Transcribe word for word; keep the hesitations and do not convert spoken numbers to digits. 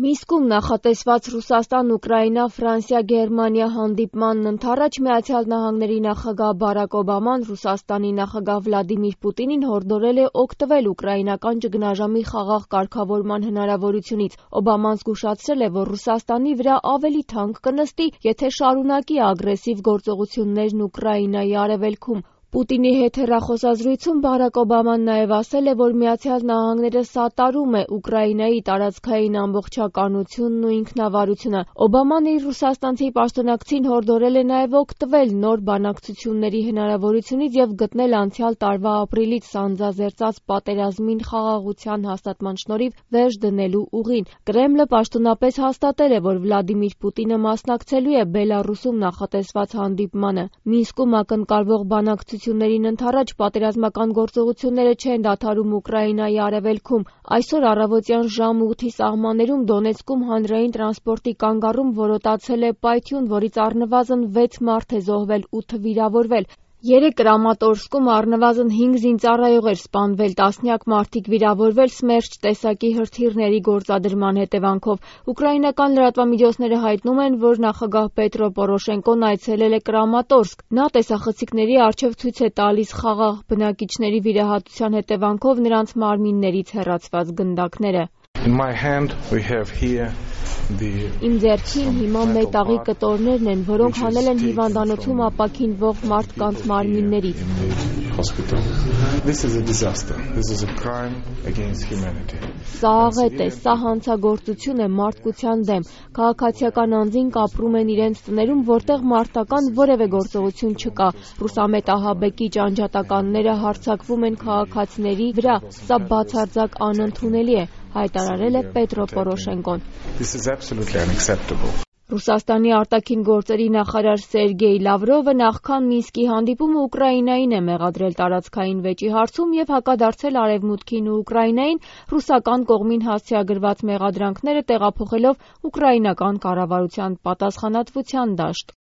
Մինսկում նախատեսված Ռուսաստան-Ուկրաինա-Ֆրանսիա-Գերմանիա հանդիպմանն ընդառաջ Միացյալ Նահանգների նախագահ Բարակ Օբաման Ռուսաստանի նախագահ Վլադիմիր Պուտինին հորդորել է օգտվել ուկրաինական ճգնաժամի խաղաղ կարգավորման հնարավորությունից։ Օբաման զգուշացրել է, որ Ռուսաստանի վրա ավելի թանկ կնստի, եթե շարունակի ագրեսիվ գործողություններն Ուկրաինայի արևելքում։ Պուտինի հետ հեռախոսազրույցում Բարակ Օբաման նաև ասել է, որ Միացյալ Նահանգները սատարում է Ուկրաինայի տարածքային ամբողջականությունն ու ինքնավարությունը։ Օբաման իր ռուսաստանցի պաշտոնակցին հորդորել է նաև օգտվել նոր բանակցությունների հնարավորությունից և գտնել անցյալ տարվա ապրիլից սանձազերծած պատերազմին խաղաղության հաստատման շնորհիվ վերջ դնելու ուղին։ Կրեմլը պաշտոնապես հաստատել է, որ Վլադիմիր Պուտինը մասնակցելու է Բելառուսում նախատեսված հանդիպմանը։ Մինսկում ակնկալվող բանակցություններին ընդառաջ պատերազմական գործողությունները չեն դադարում Ուկրաինայի արևելքում։ Այսօր առավոտյան ժամը ութի սահմաններում Դոնեցկում հանրային տրանսպորտի կանգառում որոտացել է պայթյուն, որից առնվազն վեց մարդ է զոհվել, ութը վիրավորվել։ Երեկ Կրամատորսկում առնվազն հինգ զինծառայող էր սպանվել, տասնյակ մարդիկ վիրավորվել Սմերչ տեսակի հրթիռների գործադրման հետևանքով։ Ուկրաինական լրատվամիջոցները հայտնում են, որ նախագահ Պետրո Պորոշենկոն այցելել է Կրամատորսկ։ Նա տեսախցիկների առջև ցույց է տալիս խաղաղ բնակիչների վիրահատության հետևանքով նրանց մարմիններից հեռացված գնդակները։ Իմ ձեռքին հիմա մետաղի կտորներն են, որոնք հանել են հիվանդանոցում ապաքինվող մարդկանց մարմիններից։ Սա աղետ է, սա հանցագործություն է մարդկության դեմ։ Քաղաքացիական անձինք ապրում են իրենց տներում, որտեղ մարտական որևէ գործողություն չկա։ Ռուսամետ ահաբեկիչ անջատականները հարձակվում են քաղաքացիների վրա։ Սա բացարձակ անընդունելի է, հայտարարել է Պետրո Պորոշենկոն։ Ռուսաստանի արտաքին գործերի նախարար Սերգեյ Լավրովը նախքան Մինսկի հանդիպումը Ուկրաինային է մեղադրել տարածքային վեճի հարցում և հակադարձել Արևմուտքին ու Ուկրաինային, ռուսական կողմին հասցեագրված մեղադրանքները տեղափոխելով ուկրաինական կառավարության պատասխանատվության դաշտ։